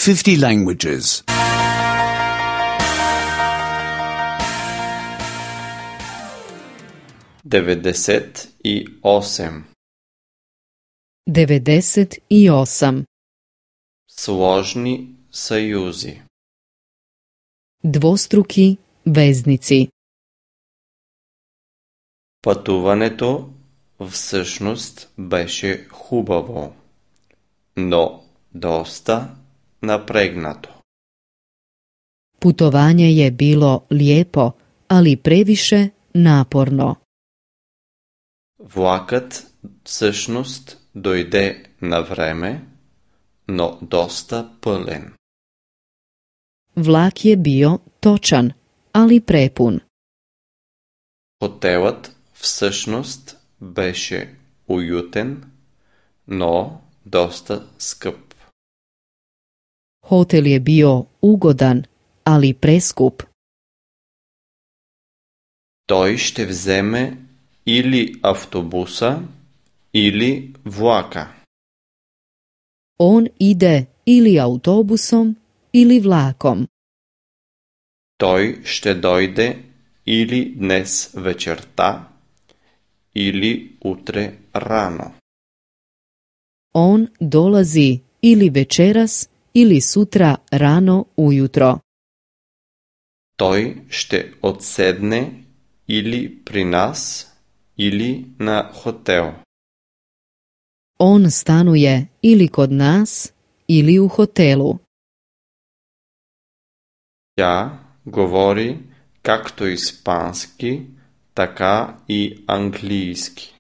50 languages. 98. 98. Сложни съюзи. Dvostruki veznici. Пътуването всъщност беше хубаво, но доста напрегнато. Putovanje je bilo lijepo, ali previše naporno. Влакът всъщност дойде на време, но доста пълен. Vlak je bio točan, ali prepun. Хотелът всъщност беше уютен, но доста скъп. Hotel je bio ugodan, ali preskup. Той ще вземе или автобуса, или влака. On ide ili autobusom ili vlakom. Той ще дойде или днес вечерта, или утре рано. On dolazi ili večeras ili sutra rano ujutro. Той ще отседне или при нас, или на хотел. On stanuje ili kod nas ili u hotelu. Тя говори както испански, така и английски.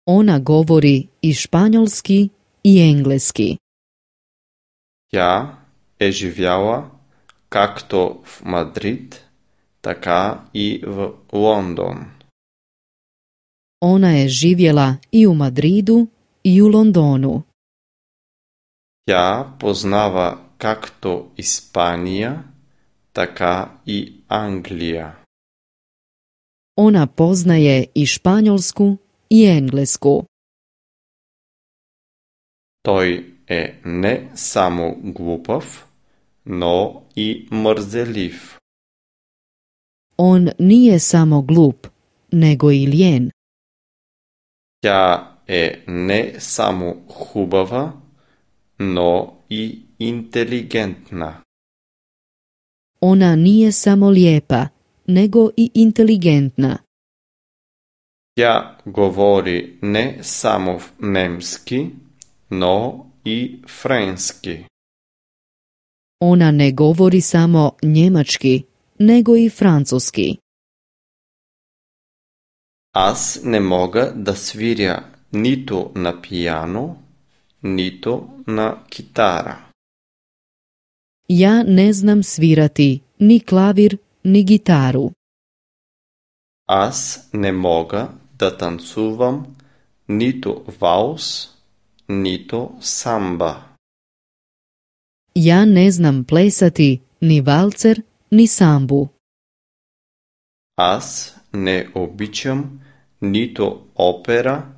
Ona govori i španjolski i engleski. Тя е живяла както в Мадрид, така и в Лондон. Ona je živjela i u Madridu i u Londonu. Тя познава както Испания, така и Англия. Ona poznaje i španjolsku i englesku. Той е не само глупав, но и мързелив. On nije samo glup, nego i lijen. Тя е не само хубава, но и интелигентна. Ona nije samo lijepa, nego i inteligentna. Тя говори не само немски, но и френски. Ona ne govori samo njemački, nego i francuski. Аз не мога да свиря нито на пияно, нито на китара. Ja ne znam svirati ni klavir, ni gitaru. Аз не мога да танцувам нито валс, нито самба. Ja ne znam plesati ni valcer, ni sambu. Аз не обичам нито опера,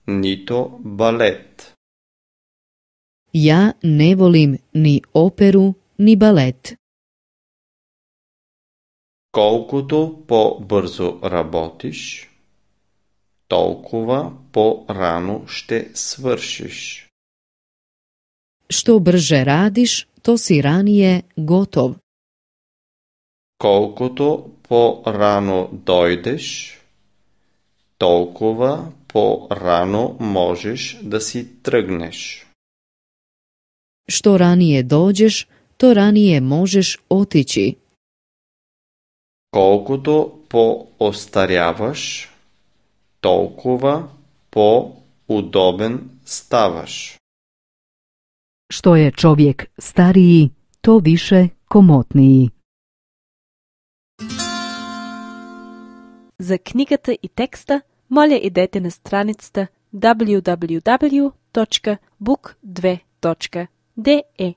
нито балет. Ja ne volim ni operu, ni balet. Колкото по-бързо работиш, толкова по-рано ще свършиш. Što brže radiš, to si ranije gotov. Колкото по-рано дойдеш, толкова по-рано можеш да си тръгнеш. Što ranije dođeš, to ranije možeš otići. Колкото по-остаряваш, толкова по-удобен ставаш. Što je čovjek stariji, to više komotniji. За книгата и текста, моля идете на страницата www.book2.de.